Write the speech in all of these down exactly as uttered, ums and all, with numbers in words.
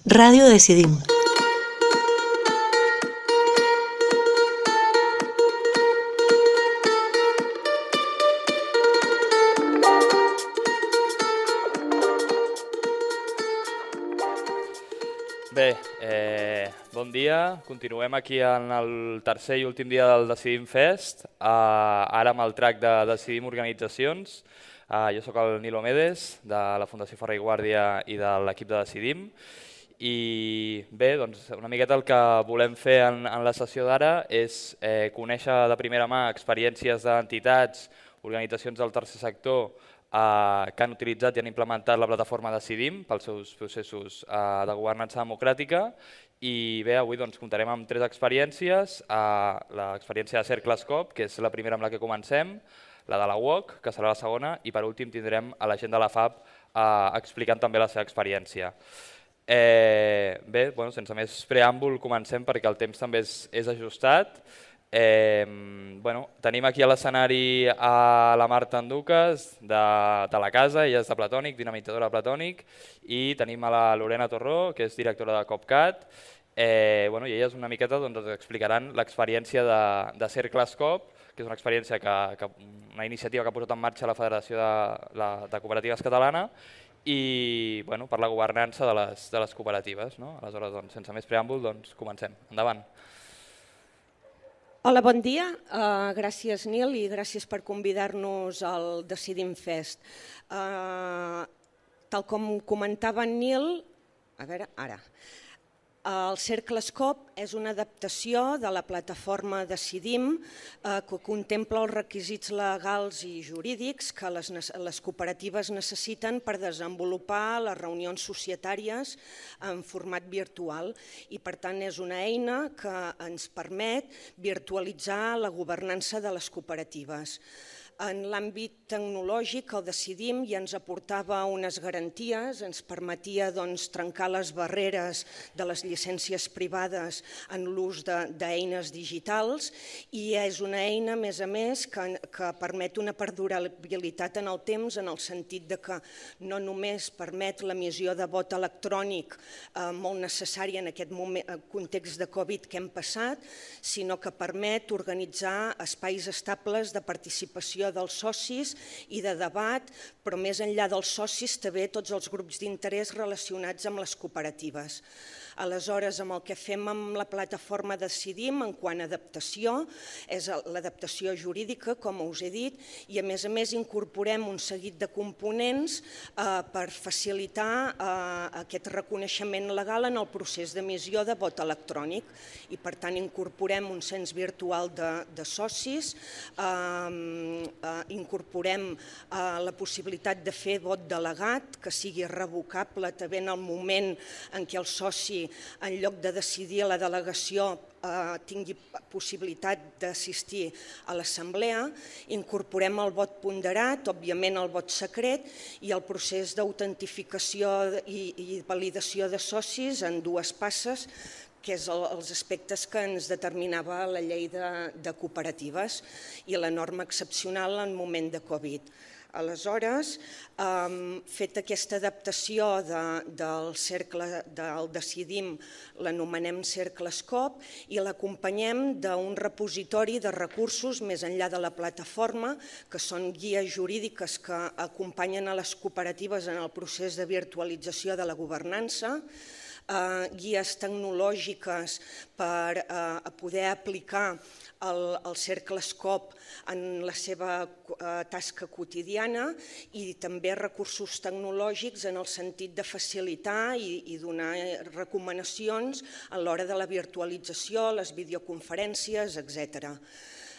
Ràdio Decidim. Bé, eh, bon dia. Continuem aquí en el tercer i últim dia del Decidim Fest, eh, ara amb el track de Decidim Organitzacions. Eh, jo sóc el Nilo Medes, de la Fundació Ferrer i Guàrdia i de l'equip de Decidim. I bé, doncs una miqueta el que volem fer en, en la sessió d'ara és eh, conèixer de primera mà experiències d'entitats, organitzacions del tercer sector eh, que han utilitzat i han implementat la plataforma Decidim pels seus processos eh, de governança democràtica. I bé, avui doncs, comptarem amb tres experiències. Eh, l'experiència de CercleScope, que és la primera amb la que comencem, la de la U O C, que serà la segona, i per últim tindrem a la gent de la F A B eh, explicant també la seva experiència. Eh, bé, bueno, sense més preàmbul comencem perquè el temps també és, és ajustat. Eh, bueno, tenim aquí a l'escenari a la Marta Anduques de, de la casa, ella és de Platònic, dinamitzadora de Platònic, i tenim a la Lorena Torró, que és directora de COPCAT. Eh, bueno, i elles una miqueta doncs, ens explicaran l'experiència de, de CercleScope, que és una experiència que, que, una iniciativa que ha posat en marxa la Federació de, la, de Cooperatives Catalana, i bueno, per la governança de les, de les cooperatives. No? Aleshores, doncs, sense més preàmbul, doncs, comencem. Endavant. Hola, bon dia. Uh, gràcies, Nil, i gràcies per convidar-nos al Decidim Fest. Uh, tal com comentava en Nil, a veure, ara... El CercleScope és una adaptació de la plataforma Decidim eh, que contempla els requisits legals i jurídics que les, les cooperatives necessiten per desenvolupar les reunions societàries en format virtual i per tant és una eina que ens permet virtualitzar la governança de les cooperatives. En l'àmbit tecnològic, el Decidim ja ens aportava unes garanties, ens permetia doncs, trencar les barreres de les llicències privades en l'ús d'eines digitals i és una eina, a més a més, que, que permet una perdurabilitat en el temps en el sentit de que no només permet l'emissió de vot electrònic eh, molt necessària en aquest moment, context de Covid que hem passat, sinó que permet organitzar espais estables de participació dels socis i de debat, però més enllà dels socis també tots els grups d'interès relacionats amb les cooperatives. Aleshores, amb el que fem amb la plataforma Decidim en quant a adaptació, és l'adaptació jurídica, com us he dit, i a més a més incorporem un seguit de components eh, per facilitar eh, aquest reconeixement legal en el procés d'emissió de vot electrònic i per tant incorporem un cens virtual de, de socis, eh, eh, incorporem eh, la possibilitat de fer vot delegat, que sigui revocable també en el moment en què el soci en lloc de decidir a la delegació eh, tingui possibilitat d'assistir a l'assemblea, incorporem el vot ponderat, òbviament el vot secret i el procés d'autentificació i, i validació de socis en dues passes, que és el, els aspectes que ens determinava la llei de, de cooperatives i la norma excepcional en moment de Covid. Aleshores, um, fet aquesta adaptació de, del cercle del Decidim, l'anomenem CercleScope i l'acompanyem d'un repositori de recursos més enllà de la plataforma, que són guies jurídiques que acompanyen a les cooperatives en el procés de virtualització de la governança, eh, guies tecnològiques per eh, poder aplicar el, el CercleScope en la seva eh, tasca quotidiana i també recursos tecnològics en el sentit de facilitar i, i donar recomanacions a l'hora de la virtualització, les videoconferències, etcètera.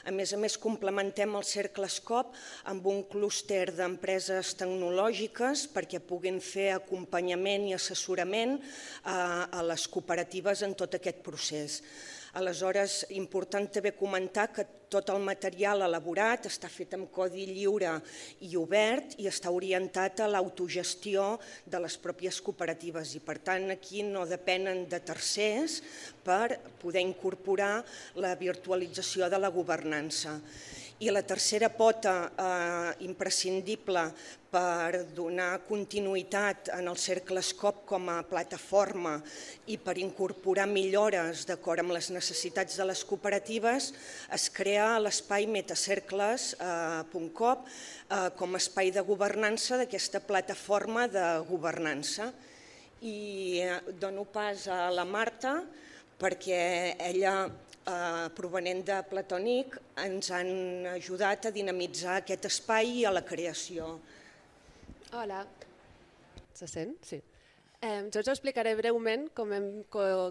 A més a més, complementem el CercleScope amb un clúster d'empreses tecnològiques perquè puguin fer acompanyament i assessorament a les cooperatives en tot aquest procés. Aleshores, important també comentar que tot el material elaborat està fet amb codi lliure i obert i està orientat a l'autogestió de les pròpies cooperatives i per tant aquí no depenen de tercers per poder incorporar la virtualització de la governança. I la tercera pota eh, imprescindible per donar continuïtat en el CercleScope com a plataforma i per incorporar millores d'acord amb les necessitats de les cooperatives, es crea l'espai metacercles punt com eh, com a espai de governança d'aquesta plataforma de governança. I dono pas a la Marta perquè ella, eh, provenent de Platònic, ens han ajudat a dinamitzar aquest espai i a la creació. Hola, se sent? Sí. Eh, jo us explicaré breument com hem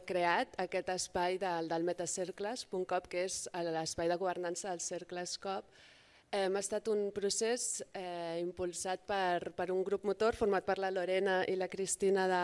creat aquest espai del, del metacercles punt com, que és l'espai de governança del CercleScope. Eh, ha estat un procés eh, impulsat per, per un grup motor format per la Lorena i la Cristina de,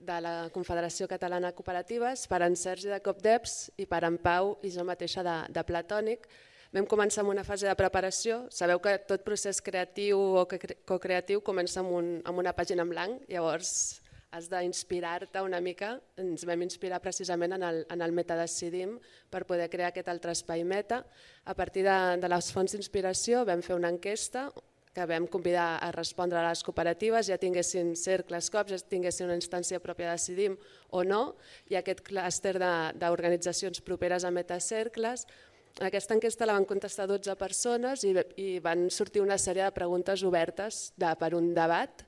de la Confederació Catalana de Cooperatives, per en Sergi de COPDEPS i per en Pau i jo mateixa de, de Platònic. Vam començar amb una fase de preparació. Sabeu que tot procés creatiu o co-creatiu comença amb, un, amb una pàgina en blanc, llavors has d'inspirar-te una mica. Ens vam inspirar precisament en el, en el Metadecidim per poder crear aquest altre espai meta. A partir de, de les fonts d'inspiració vam fer una enquesta que vam convidar a respondre a les cooperatives, ja tinguessin CercleScope, ja tinguessin una instància pròpia de Decidim o no, i aquest clúster d'organitzacions properes a Metacercles. En aquesta enquesta la van contestar dotze persones i, i van sortir una sèrie de preguntes obertes de, per un debat,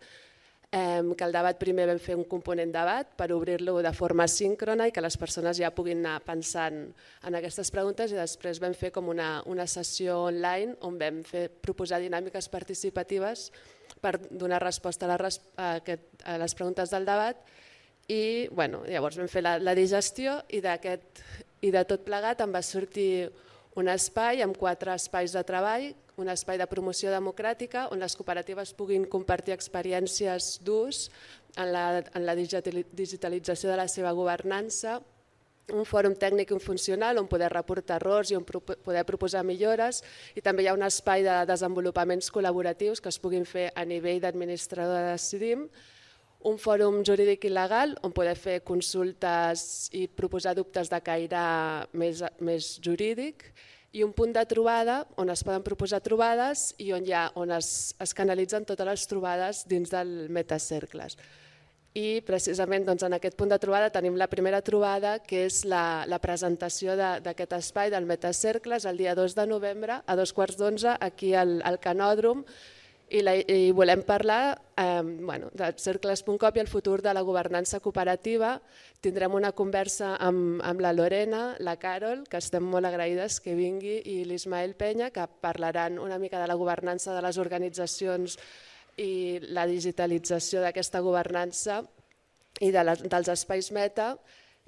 eh, que el debat primer vam fer un component debat per obrir-lo de forma síncrona i que les persones ja puguin anar pensant en aquestes preguntes, i després vam fer com una, una sessió online on vam fer, proposar dinàmiques participatives per donar resposta a, la, a, aquest, a les preguntes del debat. I bueno, llavors vam fer la, la digestió i, i de tot plegat em va sortir un espai amb quatre espais de treball, un espai de promoció democràtica on les cooperatives puguin compartir experiències d'ús en la, en la digitalització de la seva governança, un fòrum tècnic i funcional on poder reportar errors i on poder proposar millores, i també hi ha un espai de desenvolupaments col·laboratius que es puguin fer a nivell d'administrador de Decidim, un fòrum jurídic i legal on poder fer consultes i proposar dubtes de caire més, més jurídic, i un punt de trobada on es poden proposar trobades i on, ha, on es, es canalitzen totes les trobades dins del Metacercles. I precisament doncs, en aquest punt de trobada tenim la primera trobada, que és la, la presentació d'aquest espai del Metacercles el dia dos de novembre a dos quarts d'onze aquí al, al Canòdrom. I, la, i volem parlar eh, bueno, de cercles punt com i el futur de la governança cooperativa. Tindrem una conversa amb, amb la Lorena, la Carol, que estem molt agraïdes que vingui, i l'Ismael Penya, que parlaran una mica de la governança de les organitzacions i la digitalització d'aquesta governança i de les, dels espais meta.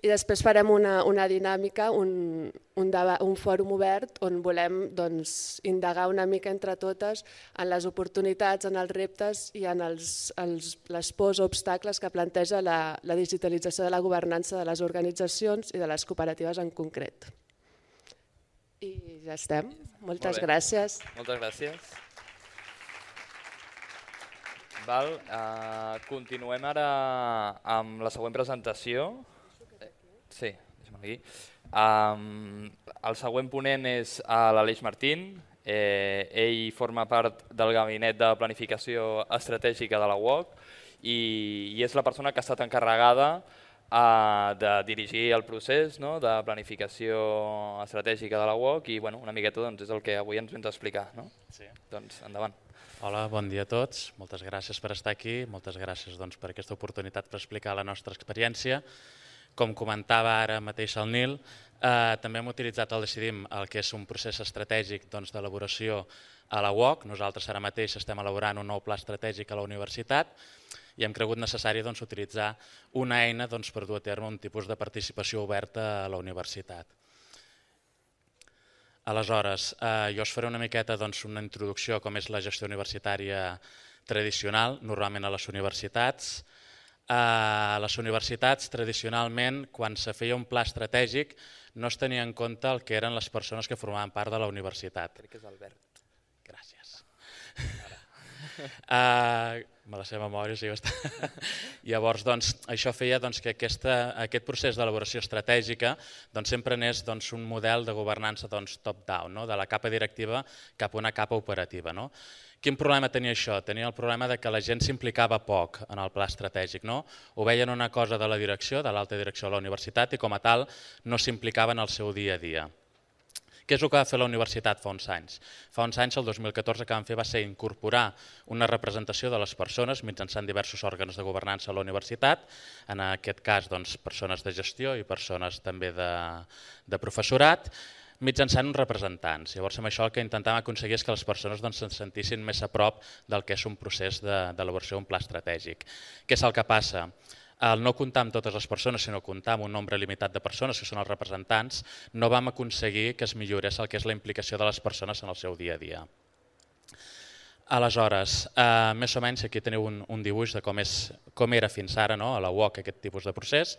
I després farem una, una dinàmica, un, un, debat, un fòrum obert on volem doncs, indagar una mica entre totes en les oportunitats, en els reptes i en els, els, les pors o obstacles que planteja la, la digitalització de la governança de les organitzacions i de les cooperatives en concret. I ja estem. Moltes gràcies. Moltes gràcies. Val, uh, continuem ara amb la següent presentació. Sí, deixa'm aquí. Um, el següent ponent és l'Aleix Martín. Eh, ell forma part del gabinet de planificació estratègica de la U O C i, i és la persona que ha estat encarregada uh, de dirigir el procés, no?, de planificació estratègica de la U O C i bueno, una miqueta doncs, és el que avui ens vens a explicar. No? Sí. Doncs endavant. Hola, bon dia a tots. Moltes gràcies per estar aquí. Moltes gràcies doncs, per aquesta oportunitat per explicar la nostra experiència. Com comentava ara mateix el Nil, eh, també hem utilitzat el Decidim, el que és un procés estratègic doncs, d'elaboració a la U O C. Nosaltres ara mateix estem elaborant un nou pla estratègic a la universitat i hem cregut necessari doncs, utilitzar una eina doncs, per dur a terme un tipus de participació oberta a la universitat. Aleshores, eh, jo us faré una miqueta doncs, una introducció a com és la gestió universitària tradicional, normalment a les universitats. A les universitats, tradicionalment, quan se feia un pla estratègic, no es tenia en compte el que eren les persones que formaven part de la universitat. Crec que és Albert. Gràcies. Uh, me la sé de memòria, sí, bastant. Llavors, doncs, això feia doncs, que aquesta, aquest procés d'elaboració estratègica doncs, sempre anés doncs, un model de governança doncs, top-down, no? De la capa directiva cap a una capa operativa. No? Quin problema tenia això? Tenia el problema de que la gent s'implicava poc en el pla estratègic. No? Ho veien una cosa de la direcció, de l'alta direcció de la universitat, i com a tal no s'implicaven en el seu dia a dia. Què és el que va fer la universitat fa uns anys? Fa uns anys, el dos mil catorze, que vam fer va ser incorporar una representació de les persones mitjançant diversos òrgans de governança a la universitat, en aquest cas doncs, persones de gestió i persones també de, de professorat, mitjançant uns representants. Llavors, amb això el que intentàvem aconseguir és que les persones doncs, se'n sentissin més a prop del que és un procés d'elaboració d'un pla estratègic. Què és el que passa? Al no comptar amb totes les persones, sinó comptar amb un nombre limitat de persones, que són els representants, no vam aconseguir que es millorés el que és la implicació de les persones en el seu dia a dia. Aleshores, eh, més o menys aquí teniu un, un dibuix de com, és, com era fins ara no, a la U O C aquest tipus de procés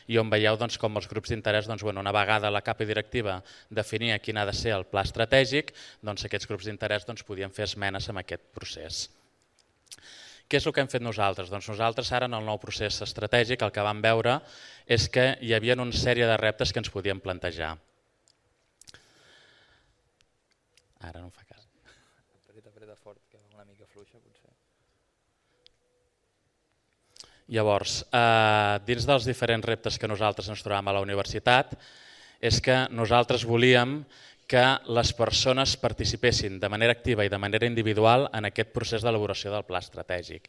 i on veieu doncs, com els grups d'interès, doncs, bueno, una vegada la capa directiva definia quin ha de ser el pla estratègic, doncs aquests grups d'interès doncs, podien fer esmenes en aquest procés. Què és el que hem fet nosaltres? Doncs nosaltres ara en el nou procés estratègic el que vam veure és que hi havia una sèrie de reptes que ens podíem plantejar. Ara no em fa cas. Apreta, apreta fort, que va una mica fluixa potser. Llavors, eh, dins dels diferents reptes que nosaltres ens trobàvem a la universitat és que nosaltres volíem que les persones participessin de manera activa i de manera individual en aquest procés d'elaboració del pla estratègic.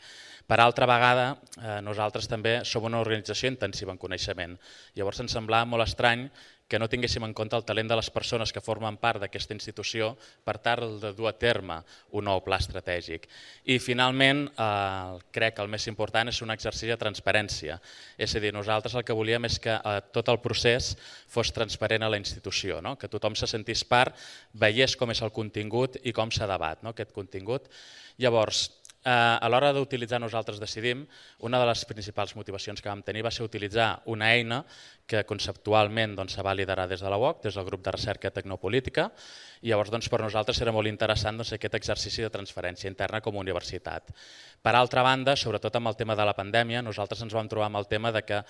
Per altra vegada, eh, nosaltres també som una organització intensiva en coneixement. Llavors ens semblava molt estrany que no tinguéssim en compte el talent de les persones que formen part d'aquesta institució per tal de dur a terme un nou pla estratègic. I finalment, eh, crec que el més important és un exercici de transparència. És a dir, nosaltres el que volíem és que eh, tot el procés fos transparent a la institució, no? Que tothom se sentís part, veiés com és el contingut i com s'ha debat no? Aquest contingut. Llavors, a l'hora d'utilitzar Nosaltres Decidim, una de les principals motivacions que vam tenir va ser utilitzar una eina que conceptualment doncs, se va liderar des de la U O C, des del grup de recerca tecnopolítica, i llavors doncs, per nosaltres era molt interessant doncs, aquest exercici de transferència interna com a universitat. Per altra banda, sobretot amb el tema de la pandèmia, nosaltres ens vam trobar amb el tema de que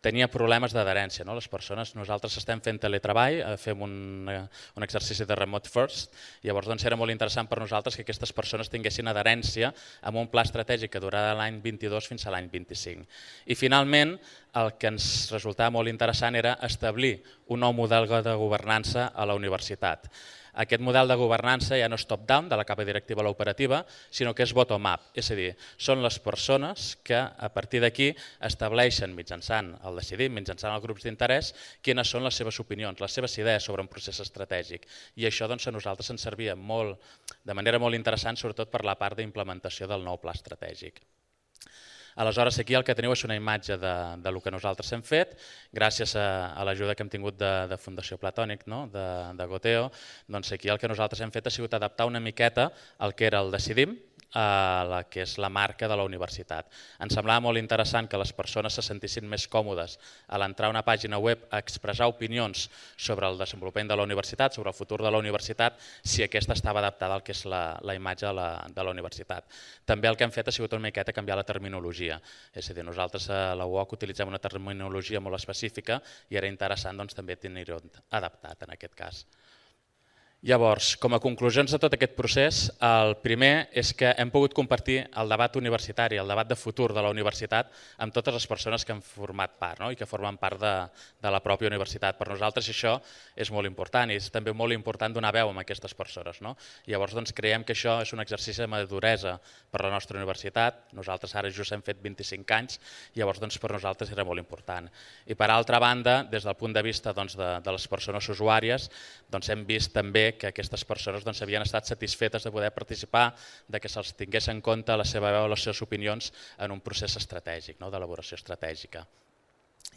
tenia problemes d'adherència. No? Les persones, nosaltres estem fent teletreball, fem un, un exercici de remote first, llavors doncs, era molt interessant per nosaltres que aquestes persones tinguessin adherència amb un pla estratègic que durarà l'any vint-i-dos fins a l'any vint-i-cinc. I finalment, el que ens resultava molt interessant era establir un nou model de governança a la universitat. Aquest model de governança ja no és top-down, de la capa directiva a l'operativa, sinó que és bottom-up, és a dir, són les persones que a partir d'aquí estableixen mitjançant el decidim, mitjançant els grups d'interès, quines són les seves opinions, les seves idees sobre un procés estratègic. I això doncs, a nosaltres ens servia molt, de manera molt interessant, sobretot per la part d'implementació del nou pla estratègic. Aleshores, aquí el que teniu és una imatge de, de lo que nosaltres hem fet, gràcies a, a l'ajuda que hem tingut de, de Fundació Platònic, no? de, de Goteo, doncs aquí el que nosaltres hem fet ha sigut adaptar una miqueta el que era el Decidim, a la que és la marca de la universitat. Ens semblava molt interessant que les persones se sentissin més còmodes a l'entrar a una pàgina web a expressar opinions sobre el desenvolupament de la universitat, sobre el futur de la universitat, si aquesta estava adaptada al que és la, la imatge de la, de la universitat. També el que hem fet ha sigut una miqueta canviar la terminologia. És a dir, nosaltres a la U O C utilitzem una terminologia molt específica i era interessant doncs, també tenir-ho adaptat en aquest cas. Llavors, com a conclusions de tot aquest procés, el primer és que hem pogut compartir el debat universitari, el debat de futur de la universitat amb totes les persones que han format part no? I que formen part de, de la pròpia universitat. Per nosaltres això és molt important i és també molt important donar veu a aquestes persones. No? Llavors doncs, creiem que això és un exercici de maduresa per la nostra universitat. Nosaltres ara just hem fet vint-i-cinc anys, llavors doncs, per nosaltres era molt important. I per altra banda, des del punt de vista doncs, de, de les persones usuàries, doncs, hem vist també que aquestes persones doncs, havien estat satisfetes de poder participar, de que se'ls tingués en compte la seva veu, les seves opinions en un procés estratègic, no? D'elaboració estratègica.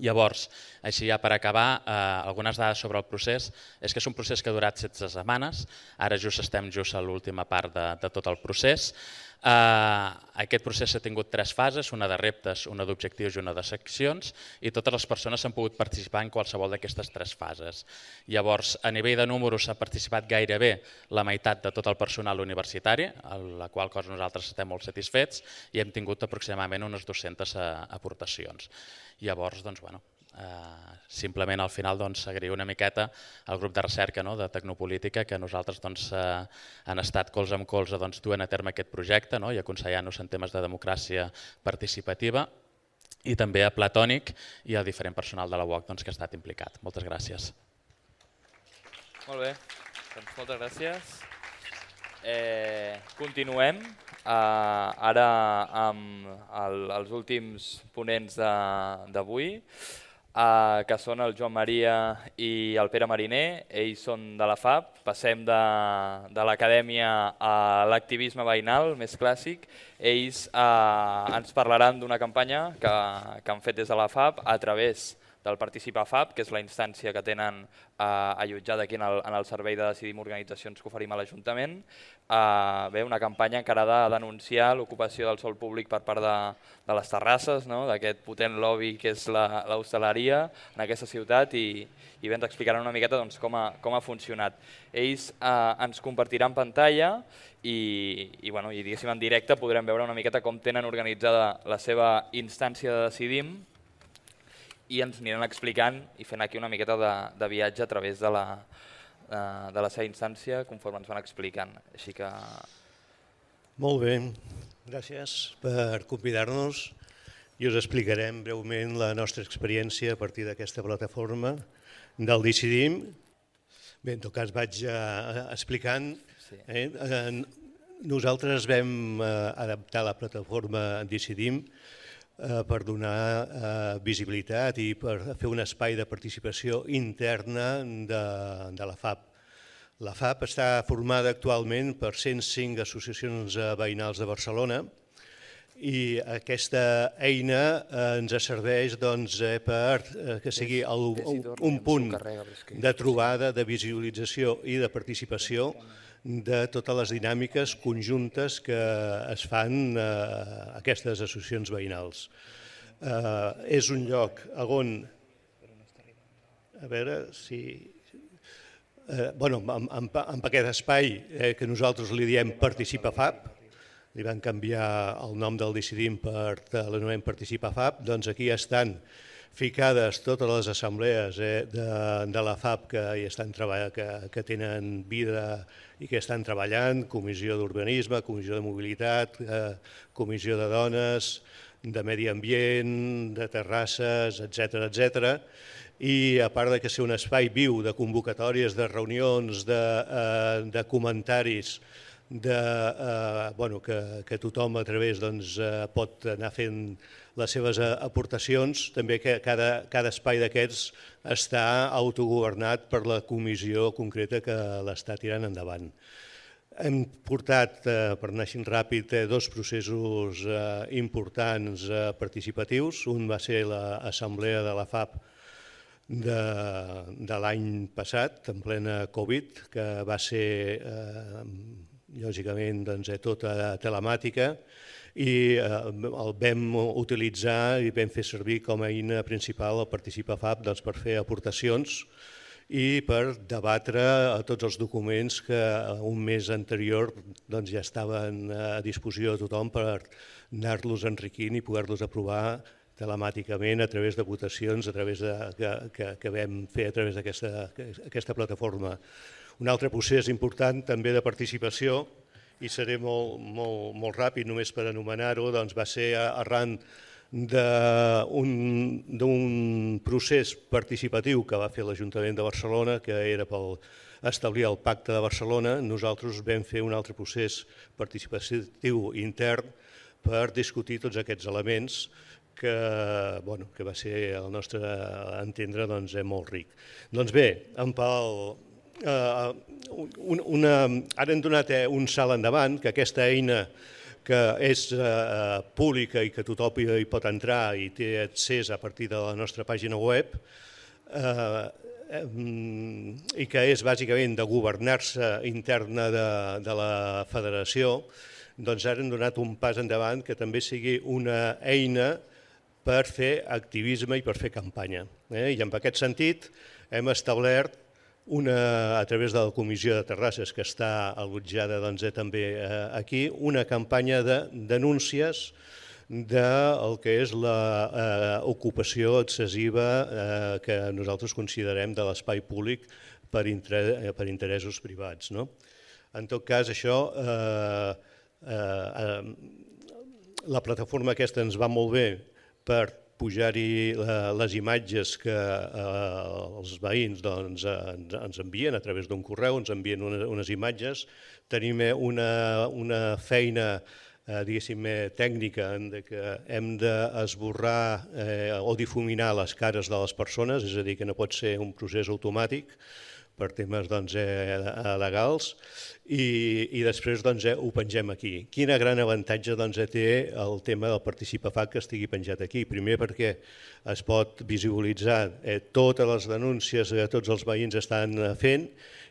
Llavors, així ja per acabar, eh, algunes dades sobre el procés, és que és un procés que ha durat setze setmanes, ara just estem just a l'última part de, de tot el procés. Aquest procés ha tingut tres fases, una de reptes, una d'objectius i una de seccions, i totes les persones han pogut participar en qualsevol d'aquestes tres fases. Llavors, a nivell de números s'ha participat gairebé la meitat de tot el personal universitari, a la qual cosa nosaltres estem molt satisfets, i hem tingut aproximadament unes dues-centes aportacions. Llavors, doncs, bueno, simplement al final agrair una miqueta al grup de recerca de Tecnopolítica que nosaltres han estat colze amb colze duent a terme aquest projecte i aconsellant-nos en temes de democràcia participativa, i també a Platònic i al diferent personal de la U O C que ha estat implicat. Moltes gràcies. Molt bé, doncs moltes gràcies. Continuem ara amb els últims ponents d'avui, que són el Joan Maria i el Pere Mariner. Ells són de la F A P, passem de l'acadèmia a l'activisme veïnal més clàssic. Ells ens parlaran d'una campanya que han fet des de la F A P a través del Participa F A P, que és la instància que tenen allotjada aquí en el servei de Decidim Organitzacions que oferim a l'Ajuntament. Una campanya encarada a denunciar l'ocupació del sòl públic per part de les terrasses, d'aquest potent lobby que és l'hostaleria en aquesta ciutat, i bé, ens explicaran una miqueta com ha funcionat. Ells ens compartiran pantalla i diguéssim en directe podrem veure una miqueta com tenen organitzada la seva instància de Decidim, i ens aniran explicant i fent aquí una miqueta de viatge a través de la seva instància conforme ens van explicant. Així que... Molt bé, gràcies per convidar-nos i us explicarem breument la nostra experiència a partir d'aquesta plataforma del Decidim. Bé, en tot cas vaig explicant. Nosaltres vam adaptar la plataforma Decidim per donar visibilitat i per fer un espai de participació interna de la F A P. La F A P està formada actualment per cent cinc associacions veïnals de Barcelona i aquesta eina ens serveix per que sigui un punt de trobada, de visualització i de participació de totes les dinàmiques conjuntes que es fan a aquestes associacions veïnals. És un lloc on, a veure si... Amb aquest espai que nosaltres li diem Participa F A P, li van canviar el nom del Decidim per l'anomenem Participa F A P, doncs aquí estan ficades totes les assemblees de la F A P que tenen vida i que estan treballant, comissió d'urbanisme, comissió de mobilitat, comissió de dones, de medi ambient, de terrasses, etcètera, etcètera. I a part de ser un espai viu de convocatòries, de reunions, de comentaris, que tothom a través pot anar fent les seves aportacions, també que cada espai d'aquests està autogovernat per la comissió concreta que l'està tirant endavant. Hem portat, per anar així ràpid, dos processos importants participatius. Un va ser l'assemblea de la F A P de l'any passat, en plena Covid, que va ser, lògicament, tota telemàtica, i el vam utilitzar i vam fer servir com a eina principal el Participa F A P per fer aportacions i per debatre tots els documents que un mes anterior ja estaven a disposició de tothom per anar-los enriquint i poder-los aprovar telemàticament a través de votacions que vam fer a través d'aquesta plataforma. Un altre procés important també de participació, i seré molt ràpid només per anomenar-ho, va ser arran d'un procés participatiu que va fer l'Ajuntament de Barcelona, que era per establir el Pacte de Barcelona. Nosaltres vam fer un altre procés participatiu intern per discutir tots aquests elements que va ser, al nostre entendre, molt ric. Doncs bé, en Pau... Ara hem donat un salt endavant, que aquesta eina que és pública i que tothom hi pot entrar i té accés a partir de la nostra pàgina web i que és bàsicament de governança interna de la federació, doncs ara hem donat un pas endavant que també sigui una eina per fer activisme i per fer campanya. I en aquest sentit hem establert una, a través de la Comissió de Terrasses, que està allotjada també aquí, una campanya de denúncies del que és l'ocupació excessiva que nosaltres considerem de l'espai públic per interessos privats. En tot cas, això, la plataforma aquesta ens va molt bé per pujar-hi les imatges que els veïns ens envien a través d'un correu, ens envien unes imatges. Tenim una feina, diguéssim, tècnica en què hem d'esborrar o difuminar les cares de les persones, és a dir, que no pot ser un procés automàtic per temes legals, i després ho pengem aquí. Quin gran avantatge té el tema del Participa-F A C que estigui penjat aquí? Primer perquè es pot visualitzar totes les denúncies que tots els veïns estan fent,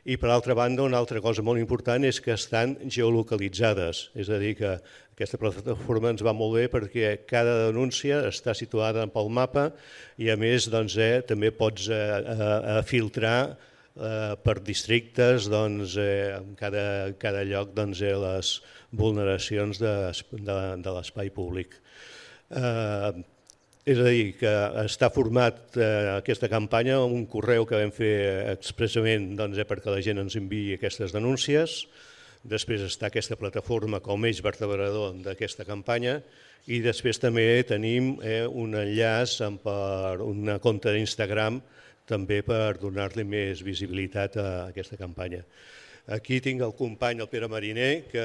i per altra banda una altra cosa molt important és que estan geolocalitzades, és a dir, que aquesta plataforma ens va molt bé perquè cada denúncia està situada pel mapa i a més també pots filtrar per districtes en cada lloc les vulneracions de l'espai públic. És a dir, que està format aquesta campanya amb un correu que vam fer expressament perquè la gent ens enviï aquestes denúncies. Després està aquesta plataforma com eix vertebrador d'aquesta campanya i després també tenim un enllaç per una compte d'Instagram també per donar-li més visibilitat a aquesta campanya. Aquí tinc el company, el Pere Mariner, que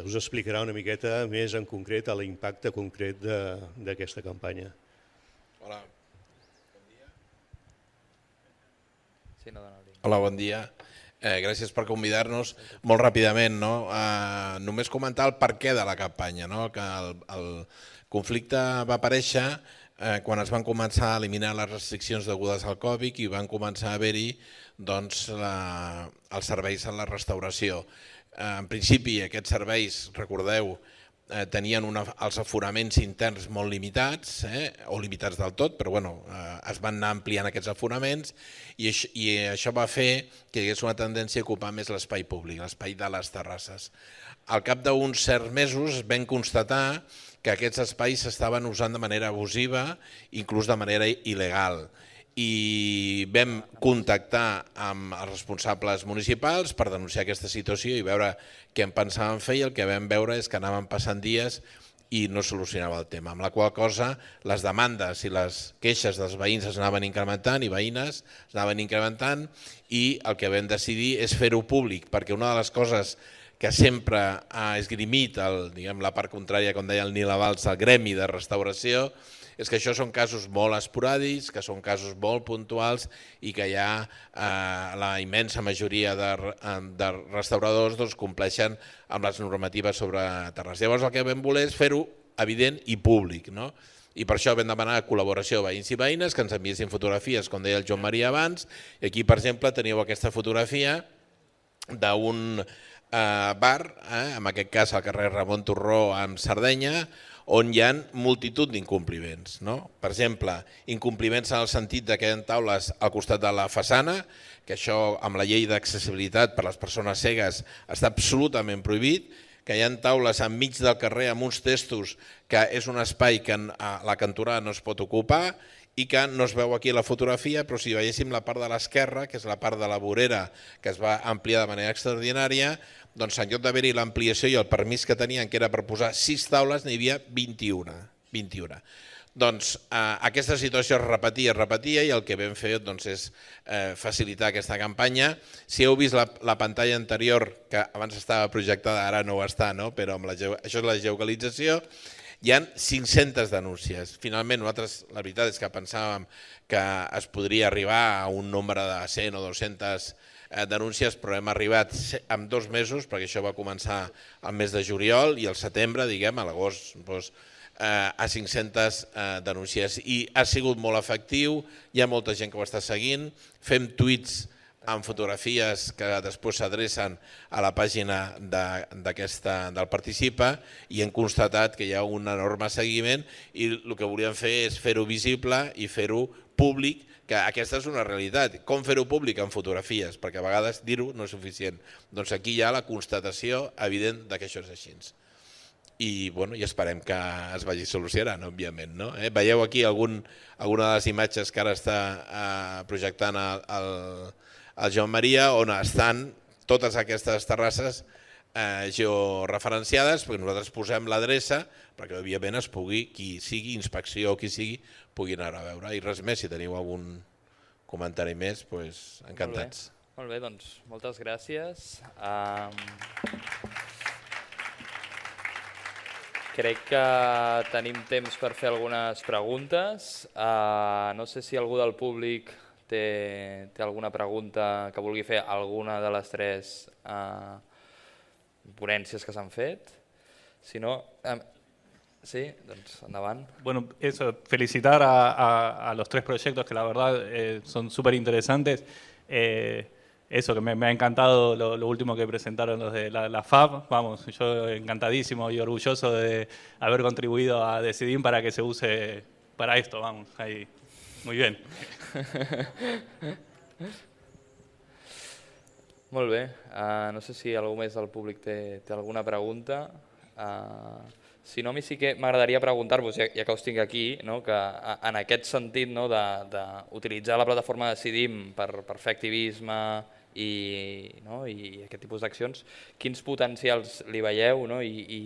us explicarà una miqueta més en concret l'impacte concret d'aquesta campanya. Hola, bon dia. Hola, bon dia. Gràcies per convidar-nos. Molt ràpidament, només comentar el perquè de la campanya. El conflicte va aparèixer quan es van començar a eliminar les restriccions degudes al Covid i van començar a haver-hi els serveis en la restauració. En principi aquests serveis, recordeu, tenien els aforaments interns molt limitats, o limitats del tot, però es van anar ampliant aquests aforaments i això va fer que hi hagués una tendència a ocupar més l'espai públic, l'espai de les terrasses. Al cap d'uns certs mesos vam constatar que aquests espais s'estaven usant de manera abusiva, inclús de manera il·legal. I vam contactar amb els responsables municipals per denunciar aquesta situació i veure què en pensàvem fer, i el que vam veure és que anaven passant dies i no solucionava el tema, amb la qual cosa les demandes i les queixes dels veïns es anaven incrementant i veïnes es anaven incrementant, i el que vam decidir és fer-ho públic, perquè una de les coses que sempre ha esgrimit la part contrària, com deia el Nil Abals, el gremi de restauració, és que això són casos molt esporàdics, que són casos molt puntuals i que ja la immensa majoria de restauradors compleixen amb les normatives sobre terrasses. Llavors el que vam voler és fer-ho evident i públic, i per això vam demanar col·laboració a veïns i veïnes que ens enviessin fotografies, com deia el Joan Maria abans, i aquí, per exemple, teníeu aquesta fotografia d'un bar, en aquest cas al carrer Ramon Turró en Sardenya, on hi ha multitud d'incompliments. Per exemple, incompliments en el sentit que hi ha taules al costat de la façana, que això amb la llei d'accessibilitat per a les persones cegues està absolutament prohibit, que hi ha taules enmig del carrer amb uns testos que és un espai que la cantonada no es pot ocupar i que no es veu aquí a la fotografia, però si veiéssim la part de l'esquerra, que és la part de la vorera que es va ampliar de manera extraordinària, doncs en lloc d'haver-hi l'ampliació i el permís que tenien, que era per posar sis taules, n'hi havia vint-i-una. Doncs aquesta situació es repetia, es repetia, i el que vam fer és facilitar aquesta campanya. Si heu vist la pantalla anterior, que abans estava projectada, ara no ho està, però això és la geolocalització, hi ha cinc-centes denúncies. Finalment, nosaltres la veritat és que pensàvem que es podria arribar a un nombre de cent o dues-centes denúncies, però hem arribat en dos mesos, perquè això va començar al mes de juliol, i al setembre, diguem, a l'agost, a cinc-centes denúncies. I ha sigut molt efectiu, hi ha molta gent que ho està seguint, fem tuits amb fotografies que després s'adrecen a la pàgina d'aquesta del Participa i hem constatat que hi ha un enorme seguiment i el que volíem fer és fer-ho visible i fer-ho públic, que aquesta és una realitat. Com fer-ho públic en fotografies? Perquè a vegades dir-ho no és suficient. Doncs aquí hi ha la constatació evident que això és així. I, bueno, i esperem que es vagi solucionant, òbviament. No? Eh? Veieu aquí algun, alguna de les imatges que ara està eh, projectant el, el, el Joan Maria, on estan totes aquestes terrasses eh, georreferenciades, perquè nosaltres posem l'adreça perquè, òbviament, es pugui, qui sigui, inspecció o qui sigui, pugui anar a veure. I res més, si teniu algun comentari més, doncs, encantats. Molt bé, molt bé, doncs moltes gràcies. Um... Crec que tenim temps per fer algunes preguntes. Uh, no sé si algú del públic té, té alguna pregunta que vulgui fer alguna de les tres uh, ponències que s'han fet. Si no, um, sí, doncs endavant. Bueno, eso, felicitar a, a, a los tres proyectos que la verdad eh, son súper interesantes. Eh, Eso, que me, me ha encantado lo, lo último que presentaron los de la, la F A B. Vamos, yo encantadísimo y orgulloso de haber contribuido a Decidim para que se use para esto. Vamos, ahí. Muy bien. Molt bé. Uh, no sé si algú més del públic té, té alguna pregunta. Uh, si no, a mi sí que m'agradaria preguntar-vos, ja, ja que us tinc aquí, no, que en aquest sentit, no, d'utilitzar la plataforma de Decidim per, per fer activisme i, no, i aquest tipus d'accions, quins potencials li veieu, no, i, i,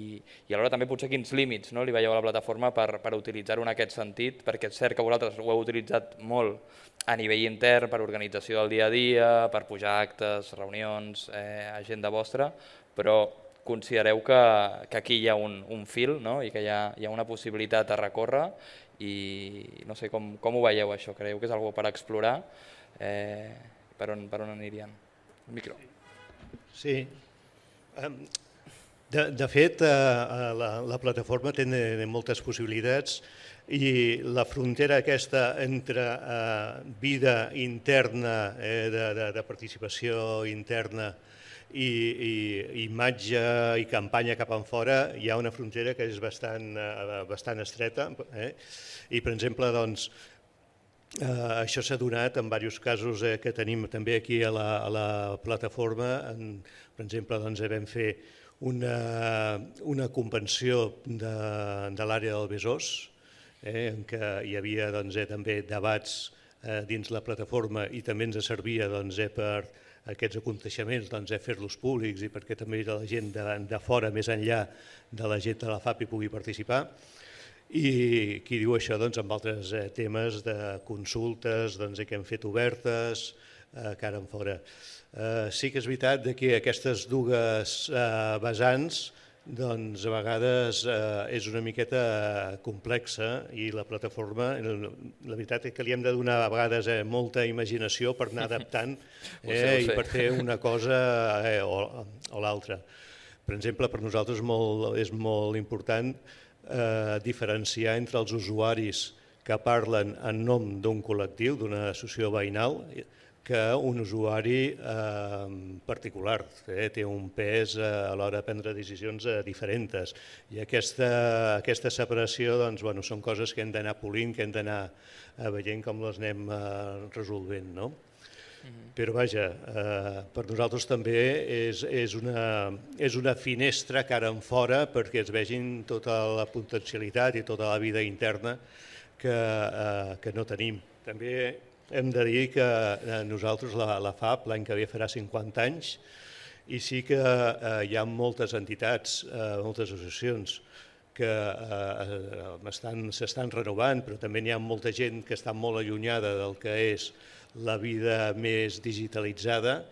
i alhora també potser quins límits, no, li veieu a la plataforma per, per utilitzar-ho en aquest sentit, perquè és cert que vosaltres ho heu utilitzat molt a nivell intern per organització del dia a dia, per pujar actes, reunions, eh, agenda vostra, però considereu que, que aquí hi ha un, un fil, no, i que hi ha, hi ha una possibilitat a recórrer i no sé com, com ho veieu això, creieu que és algo per explorar? Eh, per on, per on anirien? El micro. Sí. De, de fet, la, la plataforma té moltes possibilitats i la frontera aquesta entre eh, vida interna, eh, de, de, de participació interna i, i imatge i campanya cap enfora, hi ha una frontera que és bastant, eh, bastant estreta. Eh? I, per exemple, doncs, Uh, això s'ha donat en diversos casos eh, que tenim també aquí a la, a la plataforma. En, per exemple, doncs, vam fer una, una convenció de, de l'àrea del Besòs, eh, en què hi havia doncs, eh, també debats eh, dins la plataforma i també ens servia doncs, eh, per aquests aconteixements doncs, eh, fer-los públics i perquè també la gent de, de fora, més enllà de la gent de la F A P, hi pugui participar. I qui diu això doncs, amb altres eh, temes de consultes doncs, que hem fet obertes, eh, cara en fora. Eh, sí que és veritat que aquestes dues eh, vessants doncs, a vegades eh, és una miqueta complexa i la plataforma, la veritat és que li hem de donar a vegades eh, molta imaginació per anar adaptant eh, i per fer una cosa eh, o, o l'altra. Per exemple, per nosaltres molt, és molt important Eh, diferenciar entre els usuaris que parlen en nom d'un col·lectiu, d'una associació veïnal, que un usuari eh, particular. Eh, té un pes eh, a l'hora de prendre decisions eh, diferents. I aquesta, aquesta separació doncs, bueno, són coses que hem d'anar polint, que hem d'anar eh, veient com les anem eh, resolvent. No? Però vaja, eh, per nosaltres també és, és, una, és una finestra cara en fora perquè es vegin tota la potencialitat i tota la vida interna que, eh, que no tenim. També hem de dir que eh, nosaltres, la, la F A P, l'any que ve farà cinquanta anys i sí que eh, hi ha moltes entitats, eh, moltes associacions que eh, s'estan renovant, però també n'hi ha molta gent que està molt allunyada del que és la vida més digitalitzada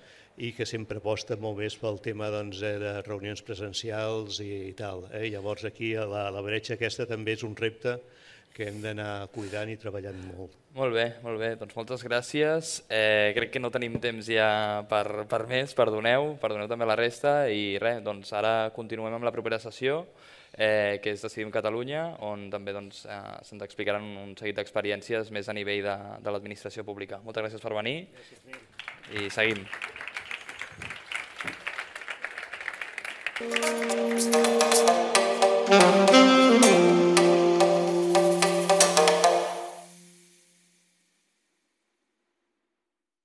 i que sempre aposta molt més pel tema doncs, de reunions presencials i, i tal. Eh? Llavors aquí la, la bretxa aquesta també és un repte que hem d'anar cuidant i treballant molt. Molt bé, molt bé. Doncs moltes gràcies. Eh, crec que no tenim temps ja per, per més, perdoneu, perdoneu també la resta i res, doncs ara continuem amb la propera sessió. Eh, que és Decidim Catalunya, on també doncs, eh, se'ns explicaran un seguit d'experiències més a nivell de, de l'administració pública. Moltes gràcies per venir. Gràcies, I seguim. Thank you.